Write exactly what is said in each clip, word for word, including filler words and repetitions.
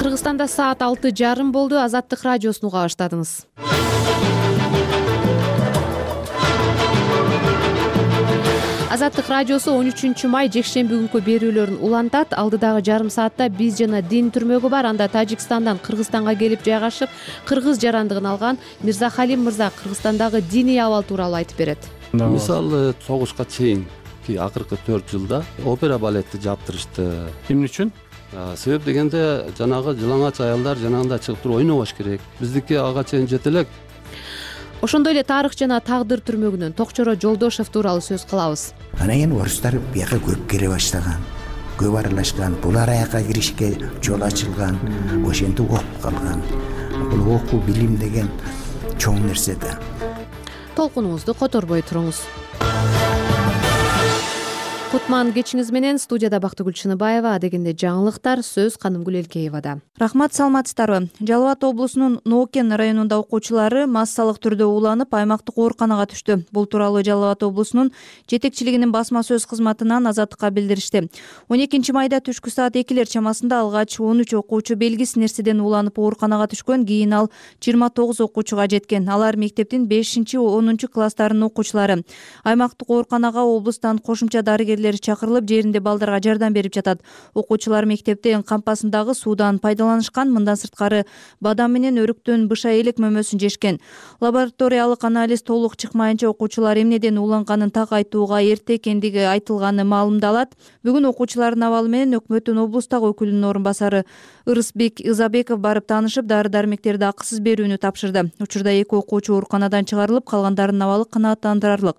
Кыргызстанда саат алты жарым болду. Азаттык радиосун уга баштадыңыз. Азаттык радиосу он үчүнчү май жекшемби күнкү берүүлөрүн улантат. Алдыдагы жарым саатта биз жана дин түрмөгү бар. Анда Тажикстандан Кыргызстанга келип жайгашып, кыргыз жарандыгын алган Мирзахалим мырза Кыргызстандагы диний абал тууралуу айтып берет. Мисалы согушка чейинки акыркы төрт жылда опера балетти жаптырышты. Эмне үчүн? Себеп дегенде жанагы жылаңач аялдар жанагындай чыгып туруп ойнобош керек. Биздики ага чейин жете элек. Ошондой эле тарых жана тагдыр түрмөгүнөн Токчоро Жолдошев тууралуу сөз кылабыз. Анан кийин орустар бияка көп келе баштаган, көп аралашкан, булар аяка киришке жол ачылган, ошентип окуп калган. Бул окуу билим деген чоң нерсе да. Толкунуңузду которбой туруңуз. Кутман кечиңиз менен. Студияда Бактыгүл Чыныбаева, адегенде жаңылыктар сөз Канымгүл Элкеевада. Рахмат, саламатсыздарбы? Жалал Абад облусунун Ноокен районунда окуучулары массалык түрдө уланып аймактык ооруканага түштү. Бул тууралуу Жалал Абад облусунун жетекчилигинин басма сөз кызматынан Азаттыкка билдиришти. он экинчи майда түшкү саат экилер чамасында алгач он үч окуучу белгисиз нерседен уланып ооруканага түшкөн. Кийин ал жыйырма тогуз окуучуга жеткен. Алар мектептин бешинчи онунчу класстарынын окуучулары. Аймактык ооруканага облустан кошумча дарыгерлер чакырылып, жеринде балдарга жардам берип жатат. Окуучулар мектептин кампасындагы суудан пайдаланышкан. Мындан сырткары бадам менен өрүктөн быша элек мөмөсүн жешкен. Лабораториялык анализ толук чыкмайынча окуучулар эмнеден уланганын так айтууга эрте экендиги айтылганы маалымдалат. Бүгүн окуучулардын абалы менен өкмөттүн облустагы өкүлүнүн орун басары Ырысбек Изабеков барып таанышып, дары-дармектерди акысыз берүүнү тапшырды. Учурда эки окуучу ооруканадан чыгарылып, калгандарынын абалы канааттандырарлык.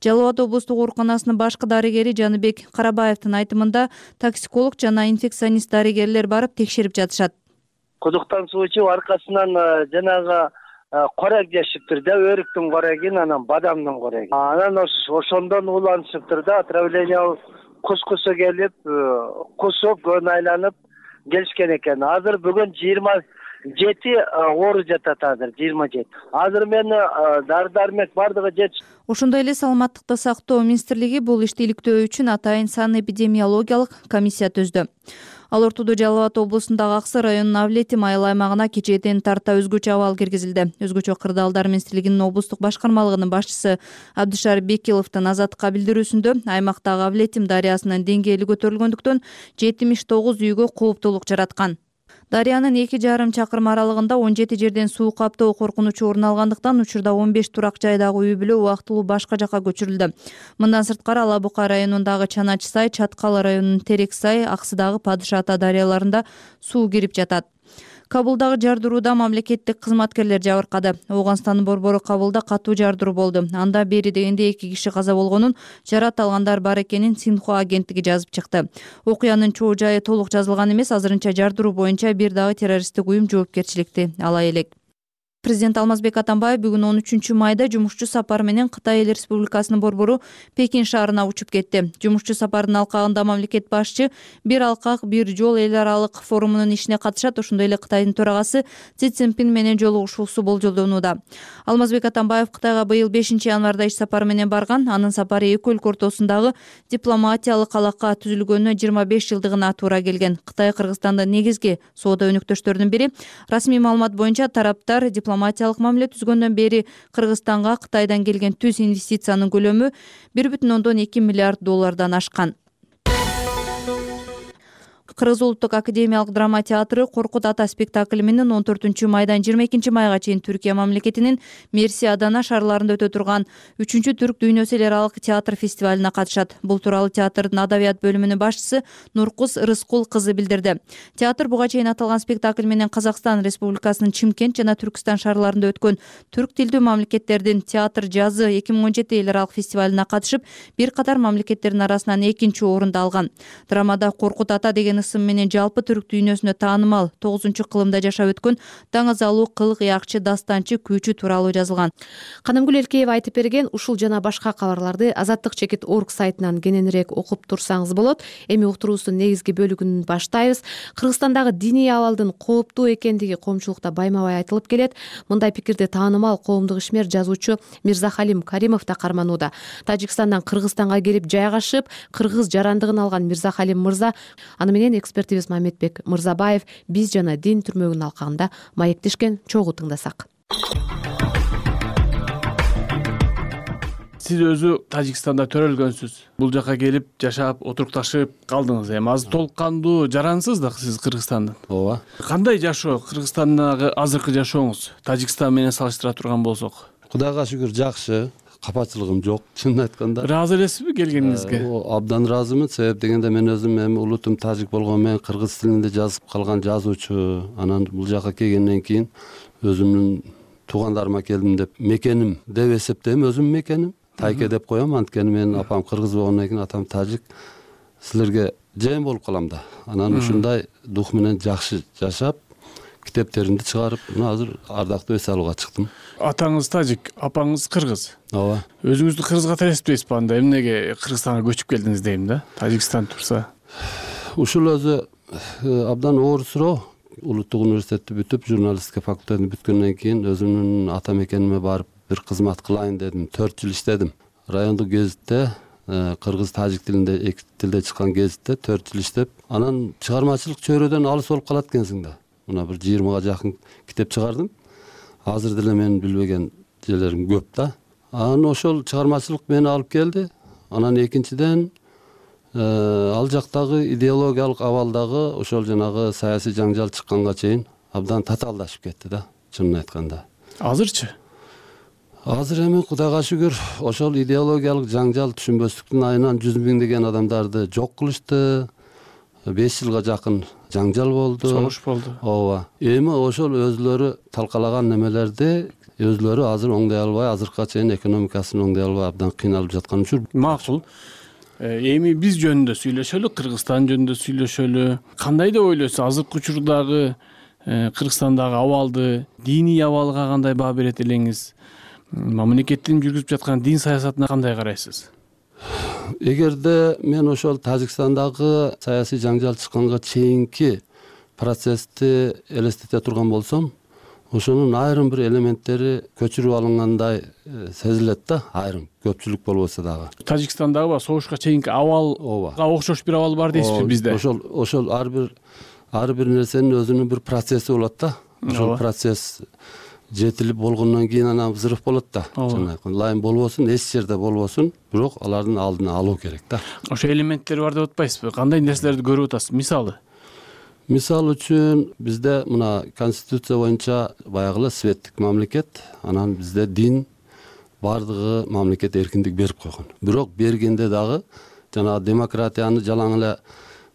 Жалал Абад облустук ооруканасынын башкы дарыгери Жаныбек Карабаевдин айтымында токсиколог жана инфекционист дарыгерлер барып текшерип жатышат. Кудуктан суу ичип аркасынан жанагы корек жешиптир да, өрүктүн корегин, анан бадамдын корегин. Анан ошондон уланышыптыр да, отравление кускусу келип, кусуп, көн айланып келишкен экен. Азыр бүгүн жыйырма жети оору жатат, азыр жыйырма жети. Азыр мен дары-дармек бардыгы жетиш. Ошондой эле саламаттыкты сактоо министрлиги бул ишти иликтөө үчүн атайын санэпидемиологиялык комиссия түздү. Ал ортодо Жалал Абад облусундагы Аксы районунун Авлетим айыл аймагына кечээден тарта өзгөчө абал киргизилди. Өзгөчө кырдаалдар министрлигинин облустук башкармалыгынын башчысы Абдышар Бекиловдун Азаттыкка билдирүүсүндө аймактагы Авлетим дарыясынын деңгээли көтөрүлгөндүктөн жетимиш тогуз үйгө кооптулук жараткан. Дарыянын эки жарым чакырым аралыгында он жети жерден суу каптоо коркунучу орун алгандыктан учурда он беш турак жайдагы үй бүлө убактылуу башка жакка көчүрүлдү. Мындан сырткары Ала Бука районундагы Чанач сай, Чаткал районунун Терек сай, Аксыдагы Падыша ата дарыяларында суу кирип жатат. Кабылдагы жардырууда мамлекеттик кызматкерлер жабыркады. Ооганстандын борбору Кабылда катуу жардыруу болду. Анда бери дегенде эки киши каза болгонун, жарат алгандар бар экенин Синхуа агенттиги жазып чыкты. Окуянын чоо жайы толук жазылган эмес, азырынча жардыруу боюнча бир дагы террористтик уюм жоопкерчиликти ала элек. Президент Алмазбек Атамбаев бүгүн он үчүнчү майда жумушчу сапар менен Кытай Эл Республикасынын борбору Пекин шаарына учуп кетти. Жумушчу сапардын алкагында мамлекет башчы бир алкак, бир жол эл аралык форумунун ишине катышат. Ошондой эле Кытайдын төрагасы Си Цзиньпин менен жолугушуусу болжолдонууда. Алмазбек Атамбаев Кытайга быйыл бешинчи январда иш сапары менен барган. Анын сапары эки өлкө ортосундагы дипломатиялык алака түзүлгөнүнө жыйырма беш жылдыгына туура келген. Кытай Кыргызстандын негизги соода өнөктөштөрүнүн бири. Расмий маалымат боюнча тараптар дипломатиялык мамиле түзгөндөн бери Кыргызстанга Кытайдан келген түз инвестициянын көлөмү бир бүтүн ондон эки миллиард доллардан ашкан. Кыргыз улуттук академиялык драма театры Коркут ата спектакли менен он төртүнчү майдан жыйырма экинчи майга чейин Түркия мамлекетинин Мерси Адана шаарларында өтө турган үчүнчү Түрк дүйнөсү эл аралык театр фестивалына катышат. Бул тууралуу театрдын адабият бөлүмүнүн башчысы Нуркуз Рыскул кызы билдирди. Театр буга чейин аталган спектакль менен Казакстан Республикасынын Чимкент жана Түркстан шаарларында өткөн түрк тилдүү мамлекеттердин театр жазы эки миң он жети эл аралык фестивалына катышып, бир катар мамлекеттердин арасынан экинчи орунду алган. Драмада Коркут ата деген ысым менен жалпы түрк дүйнөсүнө таанымал тогузунчу кылымда жашап өткөн Таңазалуу кыл ыякчы, дастанчы, күүчү тууралуу жазылган. Канымгүл Элкеева айтып берген ушул жана башка кабарларды азаттык чекит точка орг сайтынан кененирээк окуп турсаңыз болот. Эми уктуруубуздун негизги бөлүгүн баштайбыз. Кыргызстандагы диний абалдын кооптуу экендиги коомчулукта байма-бай айтылып келет. Мындай пикирди таанымал коомдук ишмер жазуучу Мирзахалим Каримов да карманууда. Тажикстандан Кыргызстанга келип жайгашып, кыргыз жарандыгын алган Мирзахалим мырза аны менен менен экспертибиз Мамедбек Мырзабаев биз жана дин түрмөгүнүн алкагында маектешкен чогуу тыңдасак. Сиз өзү Тажикстанда төрөлгөнсүз. Бул жака келип жашап, отурукташып калдыңыз. Эми азыр толук кандуу жарансыз да сиз Кыргызстандан. ооба. Кандай жашоо Кыргызстандагы азыркы жашооңуз Тажикстан менен салыштыра турган болсок? Кудайга шүгүр жакшы, капачылыгым жок. Чынын айтканда Ыраазы элесизби келгениңизге? абдан ыраазымын. Себеп дегенде мен өзүм эми улутум тажик болгону менен кыргыз тилинде жазып калган жазуучу. Анан бул жака келгенден кийин өзүмдүн туугандарыма келдим деп мекеним деп эсептейм, өзүмдүн мекеним. Тайке деп коем, анткени менин апам кыргыз болгондон кийин атам тажик. Силерге жайым болуп калам да. Анан ушундай дух менен жакшы жашап, китептеримди чыгарып, мына азыр ардактуу эс алууга чыктым. Атаңыз тажик, апаңыз кыргыз. Ооба. Өзүңүздү кыргызга эсептейсизби анда? Эмнеге Кыргызстанга көчүп келдиңиз дейм да? Тажикстан турса. Ушул өзү абдан оор суроо. Улуттук университетти бүтүп, журналистика факультетин бүткөндөн кийин өзүмдүн ата мекениме барып бир кызмат кылайын дедим. төрт жыл иштедим. Райондук гезитте, кыргыз тажик тилинде эки тилде чыккан гезитте төрт жыл иштеп, анан чыгармачылык чөйрөдөн алыс болуп калат экенсиң да. Мына бир жыйырмага жакын китеп чыгардым. Азыр деле менин билбеген жерлерим көп да. Анан ошол чыгармачылык мени алып келди. Анан экинчиден ал жактагы идеологиялык абалдагы ошол жанагы саясий жаңжал чыкканга чейин абдан татаалдашып кетти да, чынын айтканда. Азырчы? Азыр эми Кудайга шүгүр ошол идеологиялык жаңжал түшүнбөстүктүн айынан жүз миңдеген адамдарды жок кылышты. беш жылга жакын жаңжал болду. Согуш болду. Ооба. Эми ошол өзлөрү талкалаган немелерди өзлөрү азыр оңдой албай, азыркыга чейин экономикасын оңдой албай абдан кыйналып жаткан үчүн. Макул. Эми биз жөнүндө сүйлөшөлү, Кыргызстан жөнүндө сүйлөшөлү. Кандай деп ойлойсуз азыркы учурдагы Кыргызстандагы абалды, диний абалга кандай баа берет элеңиз? Мамлекеттин жүргүзүп жаткан дин саясатына кандай карайсыз? Эгерде мен ошол Тажикстандагы саясий жаңжал чыкканга чейинки процессти элестете турган болсом, ошонун айрым бир элементтери көчүрүп алынгандай сезилет да, айрым, көпчүлүк болбосо дагы. Тажикстандагы согушка чейинки абалга окшош бир абал бар дейсизби бизде? Ошол ошол ар бир ар бир нерсенин өзүнүн бир процесси болот да. Ошол процесс жетилип болгондон кийин анан взрыв болот да. Лайым болбосун, эч жерде болбосун, бирок алардын алдын алуу керек да. Ошо элементтер бар деп атпайсызбы? Кандай нерселерди көрүп атасыз? Мисалы? Мисал үчүн бизде мына конституция боюнча баягы светтик мамлекет, анан бизде дин бардыгы мамлекет эркиндик берип койгон. Бирок бергенде дагы жанагы демократияны жалаң эле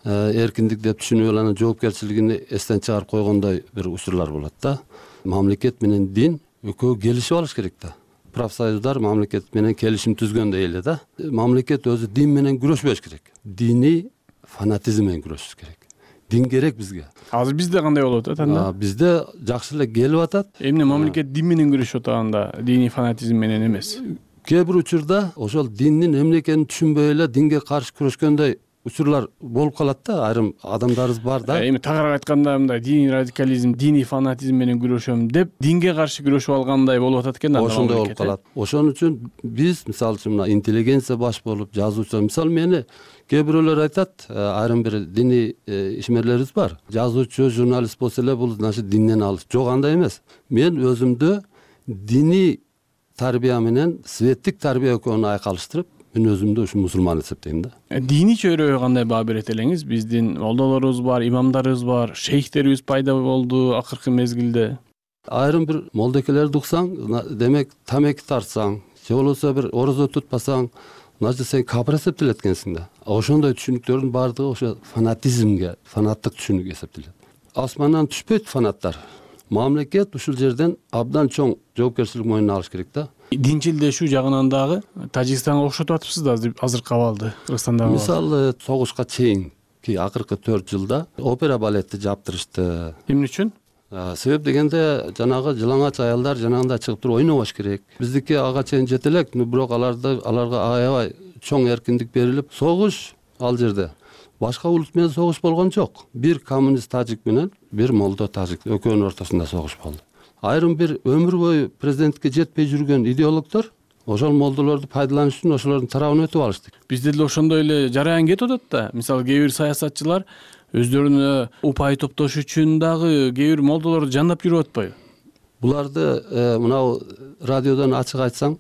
эркиндик деп түшүнүп анан жоопкерчилигин эстен чыгарып койгондой бир учурлар болот да. Мамлекет менен дин экөө келишип алыш керек да. Профсоюздар мамлекет менен келишим түзгөндөй эле да. Мамлекет өзү дин менен күрөшпөш керек. Диний фанатизм менен күрөшүш керек. Дин керек бизге. Азыр бизде кандай болуп атат анда? Бизде жакшы эле келип атат. Эмне мамлекет дин менен күрөшүп атганда, диний фанатизм менен эмес? Кээ бир учурда ошол диндин эмне экенин түшүнбөй эле динге каршы күрөшкөндөй учурлар болуп калат да, айрым адамдарыбыз бар да. Эми тагыраак айтканда мындай диний радикализм, диний фанатизм менен күрөшөм деп динге каршы күрөшүп алгандай болуп атат экен да. Ошондой болуп калат. Ошон үчүн биз мисалы үчүн мына интеллигенция баш болуп, жазуучу, мисалы мени кээ бирөөлөр айтат, айрым бир диний ишмерлерибиз бар. Жазуучу, журналист болсо эле бул значит динден алыс. Жок, андай эмес. Мен өзүмдү диний тарбия менен светтик тарбия экөөнү айкалыштырып, мен өзүмдү ушу мусулман эсептейм да. Диний чөйрөгө кандай баа берет элеңиз? Биздин молдолорубуз бар, имамдарыбыз бар, шейхтерибиз пайда болду акыркы мезгилде. Айрым бир молдекелерди уксаң, демек тамеки тартсаң, же болбосо бир орозо тутпасаң, значит сен капыр эсептелет экенсиң да. Ошондой түшүнүктөрдүн баардыгы ошо фанатизмге, фанаттык түшүнүк эсептелет. Асмандан түшпөйт фанаттар. Мамлекет ушул жерден абдан чоң жоопкерчилик мойнуна алыш керек да. Динчилдешүү жагынан дагы Тажикстанга окшотуп атыпсыз да азыркы абалды Кыргызстандагы. Мисалы согушка чейинки акыркы төрт жылда опера балетти жаптырышты. Эмне үчүн? Себеп дегенде жанагы жылаңач аялдар жанагында чыгып туруп ойнобош керек. Биздики ага чейин жете элек, бирок аларды аларга аябай чоң эркиндик берилип, согуш ал жерде башка улут менен согуш болгон жок. Бир коммунист тажик менен бир молдо тажик экөөнүн ортосунда согуш болду. Айрым бир өмүр бою президенттикке жетпей жүргөн идеологдор ошол молдолорду пайдаланыш үчүн ошолордун тарабына өтүп алышты. Бизде деле ошондой эле жараян кетип атат да. Мисалы кээ бир саясатчылар өздөрүнө упай топтош үчүн дагы кээ бир молдолорду жандап жүрүп атпайбы? Буларды мынау радиодон ачык айтсаң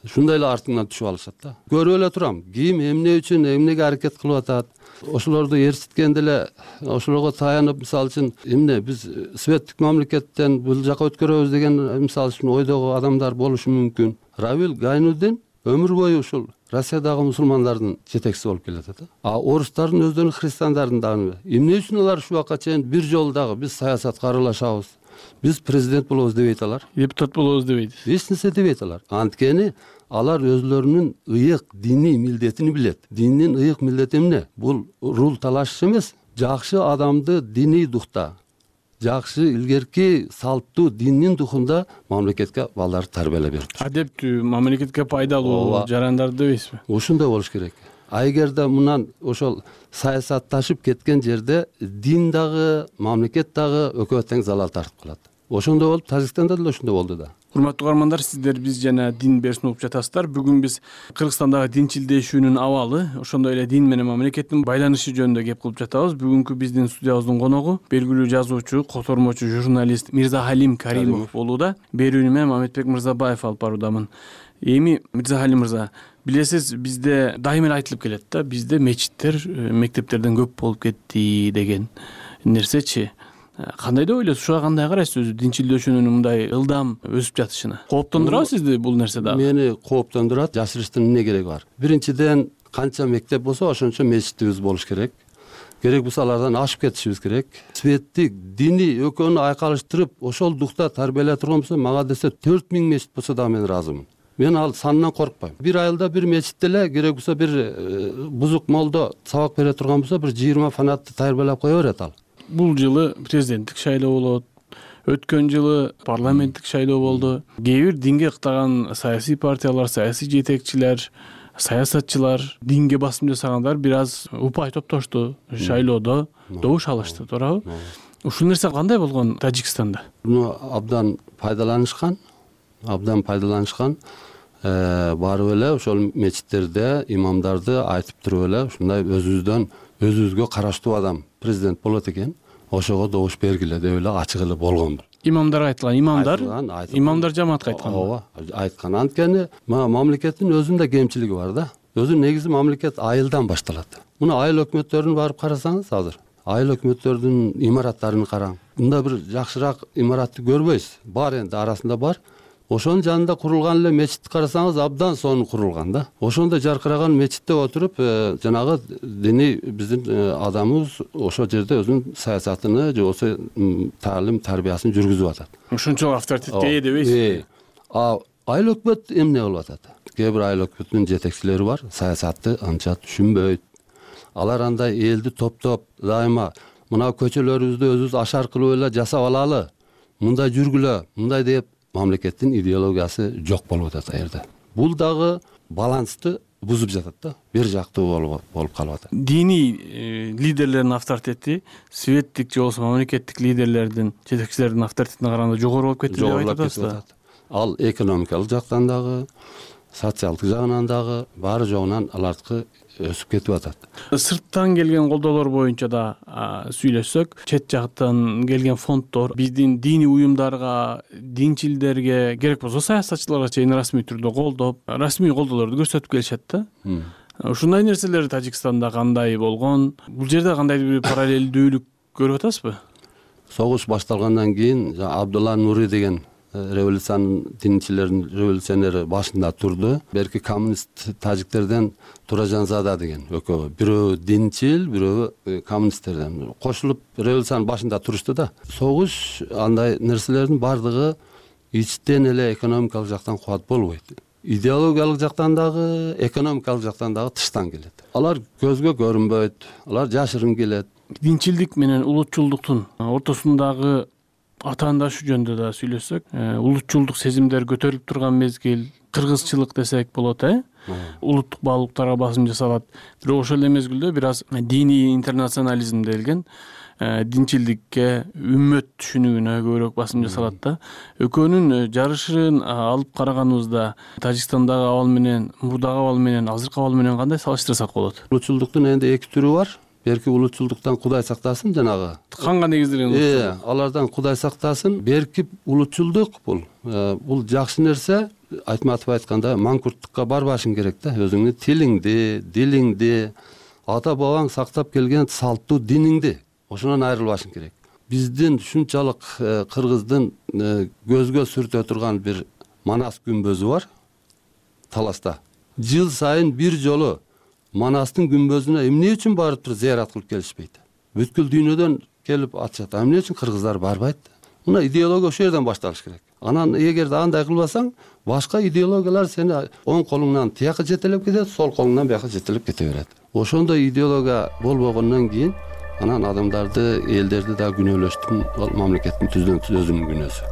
ушундай эле артыңан түшүп алышат да. Көрүп эле турам, ким эмне үчүн эмнеге аракет кылып атат. Ошолорду ээрчиткенде эле ошолорго таянып, мисалы үчүн эмне биз светтик мамлекеттен бул жака өткөрөбүз деген мисалы үчүн ойдогу адамдар болушу мүмкүн. Равил Гайнудин өмүр бою ушул Россиядагы мусулмандардын жетекчиси болуп келатат. А орустардын өздөрүнүн христиандардын дагы эмне үчүн алар ушул убакка чейин бир жолу дагы биз саясатка аралашабыз, биз президент болобуз дебейт алар, депутат болобуз дебейт, эч нерсе дебейт алар. Анткени алар өзлөрүнүн ыйык диний милдетин билет. Диндин ыйык милдети эмне? Бул рул талашыш эмес, жакшы адамды диний духта, жакшы илгерки салттуу диндин духунда мамлекетке балдарды тарбиялап берип туруш. Адептүү, мамлекетке пайдалуу жарандар дебейсизби? Ушундай болуш керек. А эгерде мындан ошол саясатташып кеткен жерде дин дагы, мамлекет дагы экөө тең залал тартып калат. Ошондой болуп, Тажикстанда деле ошондой болду да. Урматтуу угармандар, сиздер биз жана дин берсин угуп жатасыздар. Бүгүн биз Кыргызстандагы динчилдешүүнүн абалы, ошондой эле дин менен мамлекеттин байланышы жөнүндө кеп кылып жатабыз. Бүгүнкү биздин студиябыздын коногу белгилүү жазуучу, котормочу, журналист Мирзахалим Каримов болууда. Берүүнү мен Мамедбек Мырзабаев алып баруудамын. Эми Мирзахалим мырза, билесиз, бизде дайыма эле айтылып келет да, бизде мечиттер мектептерден көп болуп кетти деген нерсечи. Кандай деп ойлойсуз? Ушуга кандай карайсыз өзү динчилдешүүнүн мындай ылдам өсүп жатышына? Кооптондурабы сизди бул нерсе дагы? Мени кооптондурат. Жашырыштын эмне кереги бар? Биринчиден, канча мектеп болсо ошончо мечитибиз болуш керек. Керек болсо алардан ашып кетишибиз керек. Светтик, диний экөөнү айкалыштырып, ошол духта тарбиялай турган болсо, мага десе төрт миң мечит болсо дагы мен ыраазымын. Мен ал санынан коркпойм. Бир айылда бир мечитте эле керек болсо бир бузук молдо сабак бере турган болсо, бир жыйырма фанатты тарбиялап кое берет ал. Бул жылы президенттик шайлоо болот. Өткөн жылы парламенттик шайлоо болду. Кээ бир динге ыктаган саясий партиялар, саясий жетекчилер, саясатчылар, динге басым жасагандар бир аз упай топтошту шайлоодо, добуш алышты, туурабы? Ушул нерсе кандай болгон Тажикстанда? Муну абдан пайдаланышкан, абдан пайдаланышкан. Барып эле ошол мечиттерде имамдарды айтып туруп эле ушундай өзүбүздөн өзүбүзгө караштуу адам президент болот экен, ошого добуш бергиле деп эле ачык эле болгон. Имамдарга айтылган, имамдар имамдар жамаатка айткан. Ооба, айткан. Анткени мамлекеттин өзүндө кемчилиги бар да. Өзү негизи мамлекет айылдан башталат. Муну айыл өкмөттөрүн барып карасаңыз азыр, айыл өкмөттөрдүн имараттарын караң. Мында бир жакшыраак имаратты көрбөйсүз. Бар энди арасында бар. Ошонун жанында курулган эле мечитти карасаңыз абдан сонун курулган да. Ошондой жаркыраган мечитте отуруп, жанагы диний биздин адамыбыз ошол жерде өзүнүн саясатыны же болбосо таалим тарбиясын жүргүзүп атат. Ошончолук авторитетке ээ дебейсизби? А айыл өкмөт эмне кылып атат? Кээ бир айыл өкмөтүнүн жетекчилери бар, саясатты анча түшүнбөйт. Алар андай элди топтоп, дайыма мына көчөлөрүбүздү өзүбүз ашар кылып эле жасап алалы, мындай жүргүлө, мындай деп мамлекеттин идеологиясы жок болуп атат а жерде. Бул дагы балансты бузуп жатат да, бир жактуу болуп болуп калып атат. Диний лидерлердин авторитети светтик же болбосо мамлекеттик лидерлердин, жетекчилердин авторитетине караганда жогору болуп кетти деп айтып атасыз. Ал экономикалык жактан дагы, социалдык жагынан дагы баары жогунан алардыкы өсүп кетип атат. Сырттан келген колдоолор боюнча да сүйлөшсөк, чет жактан келген фонддор биздин диний уюмдарга, динчилдерге, керек болсо саясатчыларга чейин расмий түрдө колдоп, расмий колдоолорду көрсөтүп келишет да. Ушундай нерселер Тажикстанда кандай болгон? Бул жерде кандайдыр бир параллелдүүлүк көрүп атасызбы? Согуш башталгандан кийин Абдулла Нури деген революциянын динчилердин революционери башында турду. Берки коммунист тажиктерден Туражанзада деген экөө, бирөө динчил, бирөө коммунисттерден кошулуп революциянын башында турушту да. Согуш андай нерселердин бардыгы ичтен эле экономикалык жактан кубат болбойт. Идеологиялык жактан дагы, экономикалык жактан дагы тыштан келет. Алар көзгө көрүнбөйт, алар жашырын келет. Динчилдик менен улутчулдуктун ортосундагы атаандашы жөнүндө да сүйлөшсөк, улутчулдук сезимдер көтөрүлүп турган мезгил, кыргызчылык десек болот, э? Улуттук баалуулуктарга басым жасалат. Бирок ошол эле мезгилде бир аз диний интернационализм делген динчилдикке, үммөт түшүнүгүнө көбүрөөк басым жасалат да. Экөөнүн жарышын алып караганыбызда Тажикстандагы абал менен, мурдагы абал менен, азыркы абал менен кандай салыштырсак болот? Улутчулдуктун энди эки түрү бар. берки улутчулдуктан Кудай сактасын, жанагы канга негизделген э алардан Кудай сактасын. Берки улутчулдук бул бул жакшы нерсе. Айтматов айтканда, маңкурттукка барбашың керек да, өзүңдүн тилиңди, дилиңди, ата бабаң сактап келген салттуу диниңди ошонон айрылбашың керек. Биздин ушунчалык кыргыздын көзгө сүртө турган бир Манас күмбөзү бар Таласта. Жыл сайын бир жолу Манастын күмбөзүнө эмне үчүн барып туруп зыярат кылып келишпейт? Бүткүл дүйнөдөн келип атышат. Эмне үчүн кыргыздар барбайт? Мына идеология ошол жерден башталыш керек. Анан эгерде андай кылбасаң, башка идеологиялар сени оң колуңнан тияка жетелеп кетет, сол колуңнан бияка жетелеп кете берет. Ошондой идеология болбогондон кийин анан адамдарды, элдерди да күнөөлөштүн, мамлекеттин түздөн өзүнүн күнөөсү.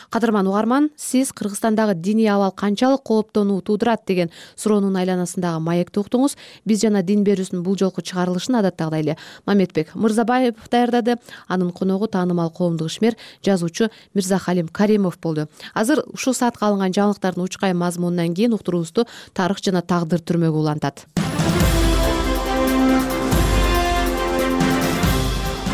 Кадырман угарман, сиз Кыргызстандагы диний абал канчалык кооптонуу туудурат деген суроонун айланасындагы маекти уктуңуз. Биз жана дин берүүсүнүн бул жолку чыгарылышын адаттагыдай эле Мамедбек Мырзабаев даярдады. Анын коногу таанымал коомдук ишмер, жазуучу Мирзахалим Каримов болду. Азыр ушул саатка алынган жаңылыктардын учкай мазмунунан кийин уктуруубузду тарых жана тагдыр түрмөгү улантат.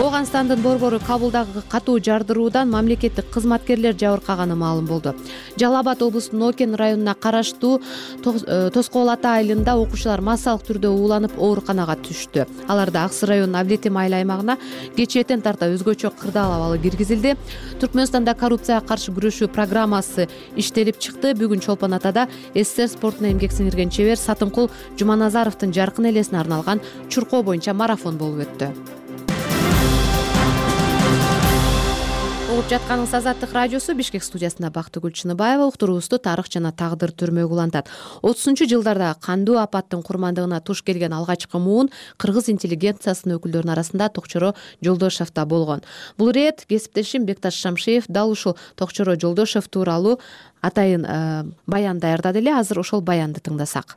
Оганстандын борбору Кабулдагы катуу жардыруудан мамлекеттик кызматкерлер жабыркаганы маалым болду. Жалал Абад облусунун Окен районуна караштуу Тоскоол ата айылында окуучулар массалык түрдө ууланып ооруканага түштү. Аларда Аксы районунун Авлетим айыл аймагына кечээден тарта өзгөчө кырдаал абалы киргизилди. Түркмөнстанда коррупцияга каршы күрөшүү программасы иштелип чыкты. Бүгүн Чолпон Атада СССР спортуна эмгек сиңирген чебер Сатынкул Жуманазаровдун жаркын элесине арналган чуркоо боюнча марафон болуп өттү. Угуп жатканыңыз Азаттык радиосу. Бишкек студиясында Бактыгүл Чыныбаева. Уктуруубузду тарых жана тагдыр түрмөгү улантат. отузунчу жылдарда кандуу апаттын курмандыгына туш келген алгачкы муун кыргыз интеллигенциясынын өкүлдөрүнүн арасында Токчоро Жолдошев да болгон. Бул ирет кесиптешим Бекташ Шамшиев дал ушул Токчоро Жолдошев тууралуу атайын баян даярдады эле. Азыр ошол баянды тыңдасак.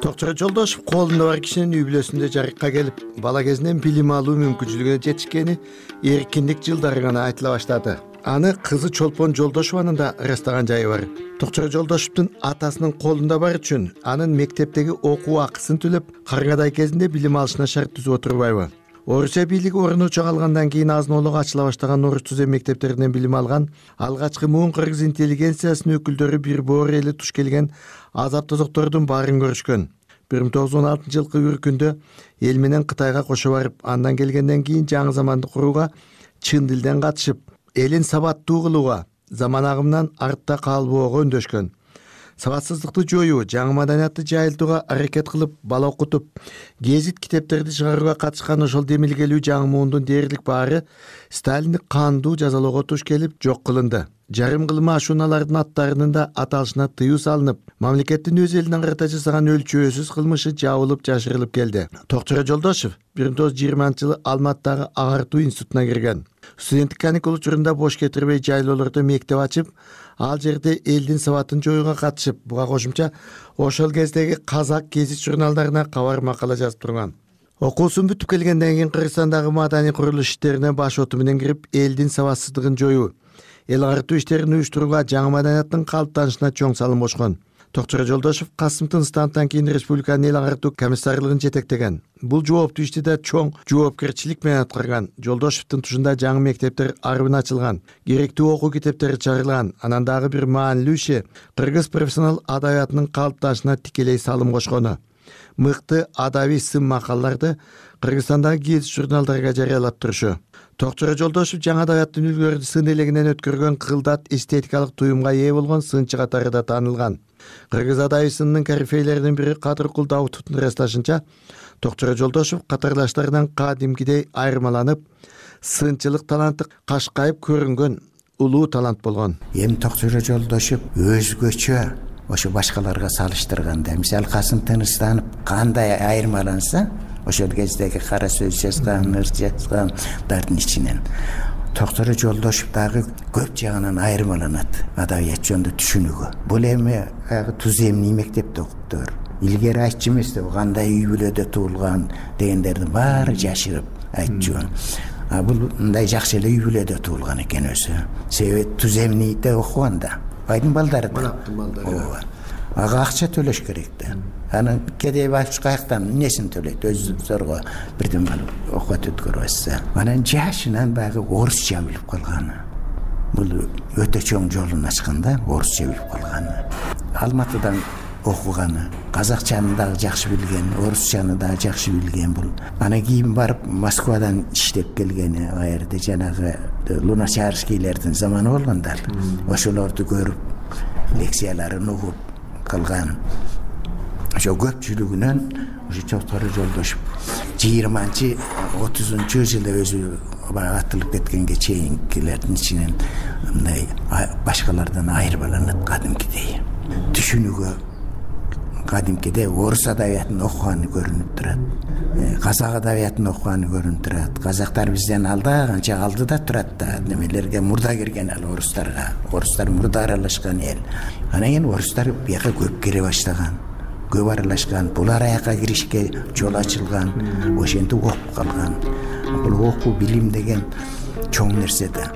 Токчоро Жолдошев колунда бар кишинин үй бүлөсүндө жарыкка келип, бала кезинен билим алуу мүмкүнчүлүгүнө жетишкени эркиндик жылдары гана айтыла баштады. Аны кызы Чолпон Жолдошеванын да ырастаган жайы бар. Токчоро Жолдошевдун атасынын колунда бар үчүн анын мектептеги окуу акысын төлөп, каргадай кезинде билим алышына шарт түзүп отурбайбы? Орусия бийлиги орночо калгандан кийин азын-олук ачыла баштаган орус түзем мектептеринен билим алган алгачкы муун кыргыз интеллигенциясынын өкүлдөрү бир боор эли туш келген азап тозоктордун баарын көрүшкөн. бир миң тогуз жүз он алтынчы жылкы үркүндө эл менен Кытайга кошо барып, андан келгенден кийин жаңы заманды курууга чын дилден катышып, элин сабаттуу кылууга, заман агымынан артта калбоого үндөшкөн. Сабатсыздыкты жоюу, жаңы маданиятты жайылтууга аракет кылып, бала окутуп, гезит китептерди чыгарууга катышкан ошол демилгелүү жаңы муундун дээрлик баары Сталиндик кандуу жазалоого туш келип жок кылынды. Жарым кылма ашуналардын аттарынын да аталышына тыюу салынып, мамлекеттин өз элине карата жасаган өлчөөсүз кылмышы жабылып жашырылып келди. Токчоро Жолдошев бир миң тогуз жүз жыйырманчы жылы Алматыдагы агартуу институтуна кирген. Студенттик каникул учурунда бош кетирбей жайлоолордо мектеп ачып, ал жерде элдин сабатын жоюуга катышып, буга кошумча ошол кездеги казак гезит журналдарына кабар макала жазып турган. Окуусун бүтүп келгенден кийин Кыргызстандагы маданий курулуш иштерине баш оту менен кирип, элдин сабатсыздыгын жоюу, эл агартуу иштерин уюштурууга, жаңы маданияттын калыптанышына чоң салым кошкон. Токчоро Жолдошев Касым Тыныстановдон кийин республиканын эл агартуу комиссарлыгын жетектеген. Бул жооптуу ишти да чоң жоопкерчилик менен аткарган. Жолдошевдун тушунда жаңы мектептер арбын ачылган, керектүү окуу китептери чыгарылган. Анан дагы бир маанилүү иши кыргыз профессионал адабиятынын калыптанышына тикелей салым кошкону. Мыкты адабий сын макалларды Кыргызстандагы гезит журналдарга жарыялап турушу. Токчоро Жолдошев жаңы адабияттын үлгүлөрүн сын элегинен өткөргөн кылдат эстетикалык туюмга ээ болгон сынчы катары да таанылган. Кыргыз адабисынын корифейлеринин бири Кадыркул Даутовдун ырасташынча, Токчоро Жолдошев катарлаштарынан кадимкидей айырмаланып, сынчылык таланты кашкайып көрүнгөн улуу талант болгон. Эми Токчоро Жолдошев өзгөчө ошо башкаларга салыштырганда, мисалы Касым Тыныстанов кандай айырмаланса, ошол кездеги кара сөз жазган, ыр жазгандардын ичинен Токчоро Жолдошев дагы көп жагынан айырмаланат адабият жөнүндө түшүнүгү. Бул эми туз эмний мектепте окуптур. Илгери айтчу эмес да, кандай үй бүлөдө туулган дегендердин баары жашырып айтчу. бул мындай жакшы эле үй бүлөдө туулган экен өзү. Себеби туземныйде окуган да. Байдын балдары да. Манаптын балдары. Ооба. Ага акча төлөш керек да. Анан кедей баш каяктан эмнесин төлөйт? Өз зорго бирден барып окуп өткөрүп. Анан жашынан баягы орусча билип калган. Бул өтө чоң жолун ачканда орусча билип калган. Алматыдан окуганы, казакчаны дагы жакшы билген, орусчаны дагы жакшы билген бул. Анан кийин барып Москвадан иштеп келгени, ал жерде жанагы Луначарскийлердин заманы болгондар. Ошолорду көрүп, лекцияларын угуп калган. Ошо көпчүлүгүнөн ошо Токтор Жолдошев жыйырманчы отузунчу жылы өзү атылып кеткенге чейинкилердин ичинен мындай башкалардан айырмаланат кадимкидей. Түшүнүүгө кадимкиде орус адабиятын окуганы көрүнүп турат. Казак адабиятын окуганы көрүнүп турат. Казактар бизден алда, канча алдыда турат да. Немелерге мурда кирген ал орустарга. Орустар мурда аралашкан эл. Анан кийин орустар бияка көп кире баштаган. Көп аралашкан. Булар аяка киришке жол ачылган. Ошентип окуп калган. Бул окуу билим деген чоң нерсе да.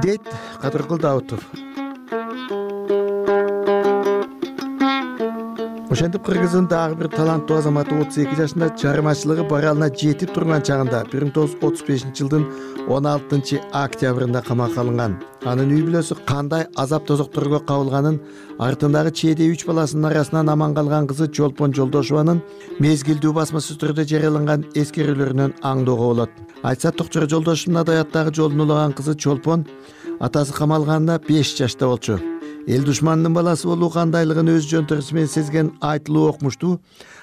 Дейт Кадыркул Даутов. Ошентип Кыргыздын дагы бир таланттуу азаматы отуз эки жашында чыгармачылыгы баралына жетип турган чагында бир миң тогуз жүз отуз бешинчи жылдын он алтынчы октябрында камакка алынган. Анын үй бүлөсү кандай азап тозокторго кабылганын, артындагы чейде үч баласынын арасынан аман калган кызы Чолпон Жолдошеванын мезгилдүү басмасыз түрдө жарыяланган эскерүүлөрүнөн аңдоого болот. Айтса Токтор Жолдошевдун адабияттагы жолун улаган кызы Чолпон атасы камалганда беш жашта болчу. Эл душманынын баласы болуу кандайлыгын өз жөнтөрүсү менен сезген айтылуу окумуштуу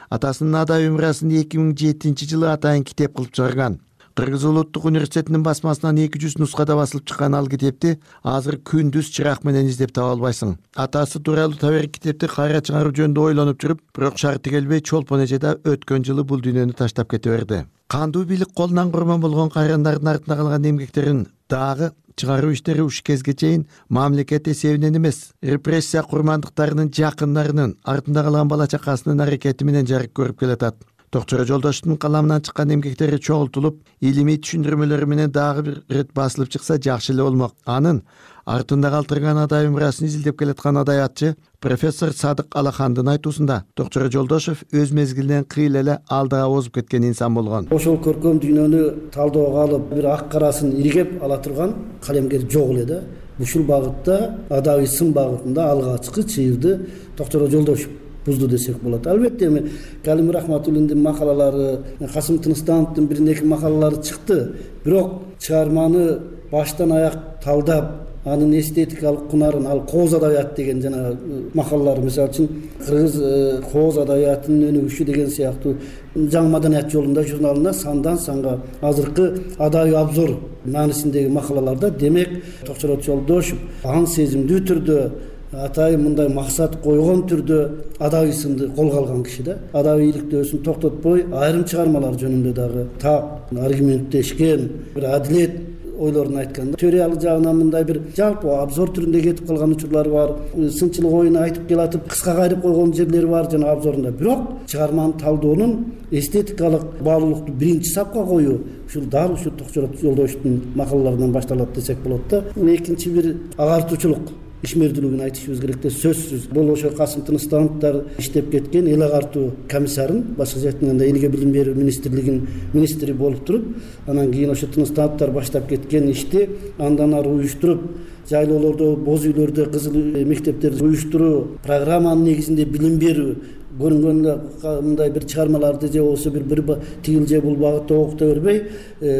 атасынын адабий мурасын эки миң жетинчи жылы атайын китеп кылып чыгарган. Кыргыз улуттук университетинин басмасынан эки жүз нускада басылып чыккан ал китепти азыр күндүз чырак менен издеп таба албайсың. Атасы тууралуу табер китепти кайра чыгаруу жөнүндө ойлонуп жүрүп, бирок шарты келбей Чолпон эже да өткөн жылы бул дүйнөнү таштап кете берди. Кандуу бийлик колунан курман болгон кайрандардын артында калган эмгектерин дагы чыгаруу иштери ушу кезге чейин мамлекет эсебинен эмес, репрессия курмандыктарынын жакындарынын артында калган бала чакасынын аракети менен жарык көрүп келатат. Токтор Жолдошевдун каламынан чыккан эмгектери чогултулуп, илимий түшүндүрмөлөрү менен дагы бир ирет басылып чыкса жакшы эле болмок. Анын артында калтырган адабий мурасын изилдеп келаткан адабиятчы профессор Садык Алахандын айтуусунда Токтор Жолдошев өз мезгилинен кыйла эле алдыга озуп кеткен инсан болгон. Ошол көркөм дүйнөнү талоого алып, бир ак карасын иргеп ала турган калемгер жок эле да. Ушул багытта адабий сын багытында алгачкы чыйырды Токтор Жолдошев бузду десек болот. Албетте эми Калим Рахматуллиндин макалалары, Касым Тыныстановдун бир неки макалалары чыкты. Бирок чыгарманы баштан аяк талдап, анын эстетикалык кунарын, ал кооз адабият деген жана макалалары, мисалы үчүн кыргыз кооз адабиятынын өнүгүшү деген сыяктуу жаңы маданият жолунда журналында сандан санга азыркы адабий обзор маанисиндеги макалаларда демек Токтор Жолдошев аң сезимдүү түрдө атайын мындай максат койгон түрдө адабий сынды колго алган киши да. Адабий иликтөөсүн токтотпой, айрым чыгармалар жөнүндө дагы так аргументтешкен, бир адилет ойлорун айтканда, теориялык жагынан мындай бир жалпы обзор түрүндө кетип калган учурлар бар. Сынчылык оюну айтып келатып, кыска кайрып койгон жерлери бар жана обзорунда. Бирок чыгарманы талдоонун эстетикалык баалуулукту биринчи сапка коюу ушул дал ушу Токтор Жолдошевдун макалаларынан башталат десек болот да. Экинчи бир агартуучулук ишмердүүлүгүн айтышыбыз керек да, сөзсүз. Бул ошо Касым Тыныстановдор иштеп кеткен эл агартуу комиссарын, башкача айтканда элге билим берүү министрлигинин министри болуп туруп, анан кийин ошо Тыныстановдор баштап кеткен ишти андан ары уюштуруп, жайлоолордо, боз үйлөрдө кызыл мектептерди уюштуруу, программанын негизинде билим берүү, көрүнгөн мындай бир чыгармаларды же болбосо бир бир тигил же бул багытта окута бербей,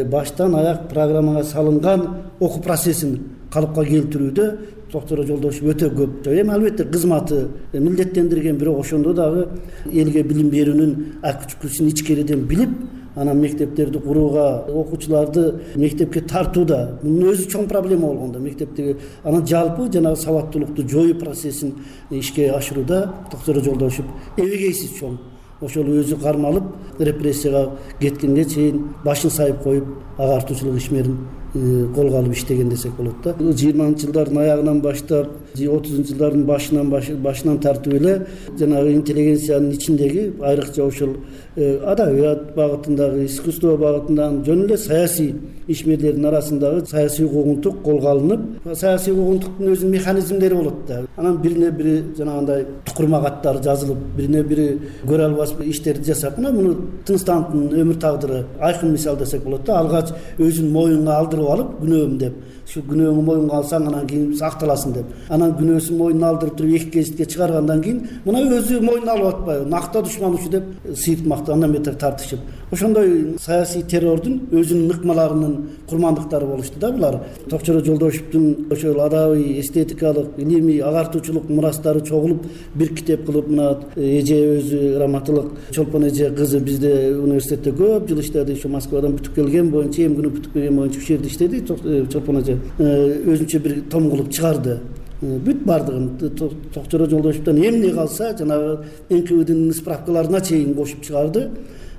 баштан аяк программага салынган окуу процессин калыпка келтирүүдө Токтор Жолдошев өтө көп. Эми албетте кызматы милдеттендирген, бирок ошондо дагы элге билим берүүнүн акчукусун ичкериден билип, анан мектептерди курууга, окуучуларды мектепке тартууда мунун өзү чоң проблема болгондо мектептеги анан жалпы жанагы сабаттуулукту жоюу процессин ишке ашырууда Токтор Жолдошев эбегейсиз чоң. Ошол өзү кармалып, репрессияга кеткенге чейин башын сайып коюп, агартуучулук ишмерин колго алып иштеген десек болот да. жыйырманчы жылдардын аягынан баштап отузунчу жылдардын башынан башынан тартып эле жанагы интеллигенциянын ичиндеги айрыкча ошол адабият багытындагы, искусство багытындагы жөн эле саясий ишмерлердин арасындагы саясий куугунтук колго алынып, саясий куугунтуктун өзүнүн механизмдери болот да. Анан бирине бири жанагындай тукурма каттар жазылып, бирине бири көрө албас иштерди жасап, мына муну Тыныстановдун өмүр тагдыры айкын мисал десек болот да. Алгач өзүн моюнга алдырып алып, күнөөм деп, ушу күнөөңү моюнга алсаң анан кийин акталасың деп, анан күнөөсүн моюнуна алдырып туруп эки гезитке чыгаргандан кийин мына өзү моюнуна алып атпайбы, накта душман ушу деп сыйытмакты андан бетер тартышып, ошондой саясий террордун өзүнүн ыкмаларынын курмандыктары болушту да булар. Токчор Жолдошевдун ошол адабий, эстетикалык, илимий, агартуучулук мурастары чогулуп бир китеп кылып, мына эже өзү раматылык Чолпон эже кызы бизде университетте көп жыл иштеди, ошо Москвадан бүтүп келген боюнча, эми күнү бүтүп келген боюнча ушул жерде иштеди. Чолпон эже өзүнчө бир том кылып чыгарды. Бүт бардыгын Токчор Жолдошевдон эмне калса жанагы эн ка вэ-дин справкаларына чейин кошуп чыгарды.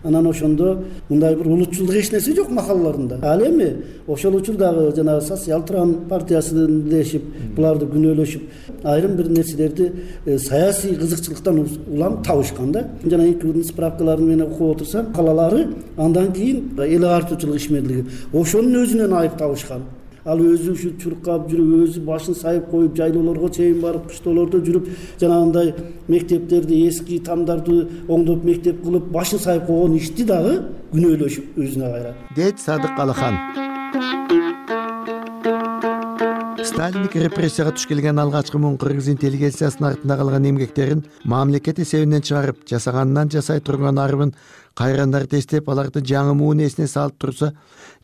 Анан ошондо мындай бир улутчулдук эч нерсе жок махаллаларында. Ал эми ошол учурдагы жанагы социал-тран партиясын дешип, буларды күнөөлөшүп, айрым бир нерселерди саясий кызыкчылыктан улам табышкан да. Жана эн ка вэ-дин справкаларын менен окуп отурсам, калалары андан кийин эл агартуучулук ишмерлиги ошонун өзүнөн айып табышкан. Ал өзү ушу чуркап жүрүп, өзү башын сайып коюп, жайлоолорго чейин барып, кыштоолордо жүрүп, жанагындай мектептерди, эски тамдарды оңдоп мектеп кылып, башын сайып койгон ишти дагы күнөөлөшүп өзүнө кайра. Дейт Садык Алахан. Сталиндик репрессияга туш келген алгачкы муун кыргыз интеллигенциясынын артында калган эмгектерин мамлекет эсебинен чыгарып, жасаганынан жасай турган арбын кайрандар тестеп, аларды жаңы муун эсине салып турса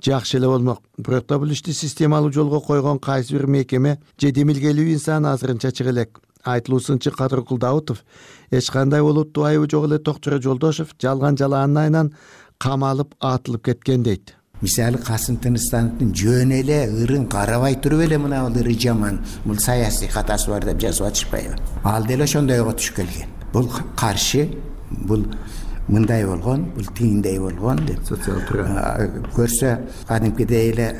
жакшы эле болмок. Бирок да бул ишти системалуу жолго койгон кайсы бир мекеме же демилгелүү инсан азырынча чыга элек. Айтылуусунча Кадыркул Даутов эч кандай олуттуу айыбы жок эле Токчор Жолдошев жалган жалаанын айынан камалып атылып кеткен дейт. Мисалы Касым Тыныстановдун жөн эле ырын карабай туруп эле мына бул ыры жаман, бул саясий катасы бар деп жазып атышпайбы? Ал деле ошондойго туш келген. Бул каршы, бул мындай болгон, бул тигиндей болгон деп социал туран көрсө кадимкидей эле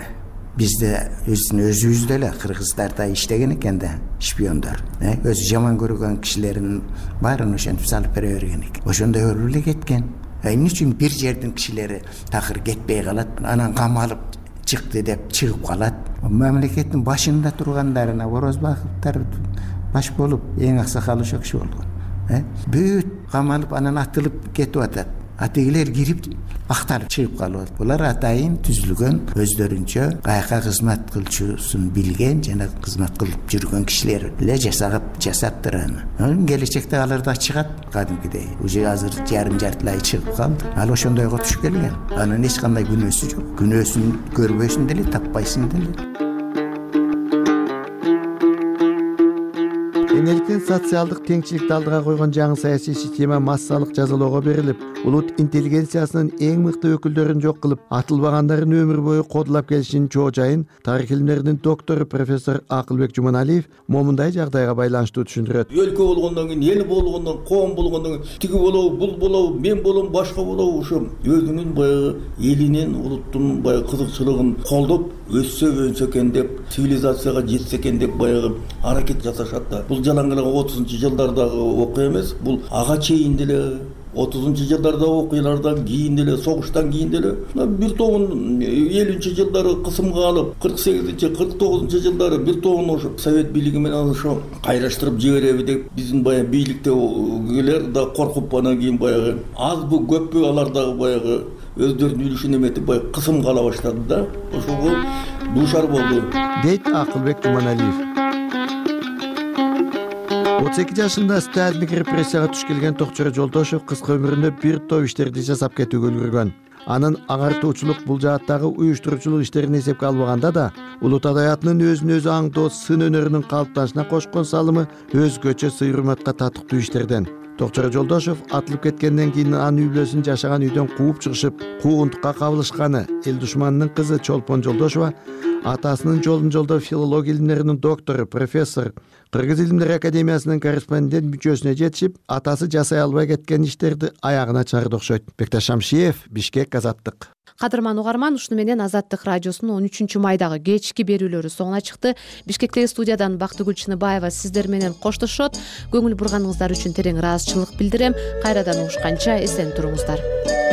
бизде өзүбүздө эле кыргыздарда иштеген экен да шпиондор. Өзү жаман көргөн кишилердин баарын ошентип салып бере берген экен. Ошондой болуп эле кеткен. Эмне үчүн бир жердин кишилери такыр кетпей калат, анан камалып чыкты деп чыгып калат. Мамлекеттин башында тургандарына Орозбаковдор баш болуп, эң аксакалы ошол киши болгон. Бүт камалып анан атылып кетип атат. Атегилер кирип актарып чыгып калат. Булар атайын түзүлгөн өздөрүнчө каяка кызмат кылчусун билген жана кызмат кылып жүргөн кишилер эле жасап жасаптыр аны. Келечекте алар да чыгат кадимкидей. Уже азыр жарым жартылай чыгып калды. Ал ошондойго туш келген. Анын эч кандай күнөөсү жок. Күнөөсүн көрбөсүн деле, таппайсың деле. Энеликтен социалдык теңчиликти алдыга койгон жаңы саясий система массалык жазалоого берилип, улут интеллигенциясынын эң мыкты өкүлдөрүн жок кылып, атылбагандарын өмүр бою кодулап келишинин чоо жайын тарых илимдеринин доктору профессор Акылбек Жуманалиев момундай жагдайга байланыштуу түшүндүрөт. Өлкө болгондон кийин, эл болгондон, коом болгондон кийин тиги болобу, бул болобу, мен болом, башка болобу, ошо өзүнүн баягы элинин, улуттун баягы кызыкчылыгын колдоп өссө өнсө экен деп, цивилизацияга жетсе экен деп баягы аракет жасашат да. Бул жалаңгырага отузунчу жылдардагы окуя эмес, бул ага чейин деле отузунчу жылдардагы окуялардан кийин деле, согуштан кийин деле бир тобун элүүнчү жылдары кысымга алып, кырк сегизинчи кырк тогузунчу жылдары бир тобун ошо совет бийлиги менен ошо кайраштырып жибереби деп биздин баягы бийликтегилер да коркуп, анан кийин баягы азбы көппү алар дагы баягы өздөрүнүн үлүшүн эметип баягы кысымга ала баштады да. Ошого дуушар болду дейт Акылбек Жуманалиев. отуз эки жашында сталиндик репрессияга туш келген Токчор Жолдошев кыска өмүрүндө бир топ иштерди жасап кетүүгө үлгүргөн. Анын агартуучулук бул жааттагы уюштуруучулук иштерин эсепке албаганда да, улут адабиятынын өзүн өзү аңдоо сын өнөрүнүн калыптанышына кошкон салымы өзгөчө сый-урматка татыктуу иштерден. Токчор Жолдошев атылып кеткенден кийин анын үй бүлөсүн жашаган үйдөн кууп чыгышып, куугунтукка кабылышканы, эл душманынын кызы Чолпон Жолдошева атасынын жолун жолдоп филология илимдеринин доктору, профессор, Кыргыз илимдер академиясынын корреспондент мүчөсүнө жетишип, атасы жасай албай кеткен иштерди аягына чыгарды окшойт. Бекташ Шамшиев, Бишкек, Азаттык. кадырман угарман, ушуну менен Азаттык радиосунун он үчүнчү майдагы кечки берүүлөрү соңуна чыкты. Бишкектеги студиядан Бактыгүл Чыныбаева сиздер менен коштошот. Көңүл бурганыңыздар үчүн терең ыраазычылык билдирем. Кайрадан угушканча эсен туруңуздар.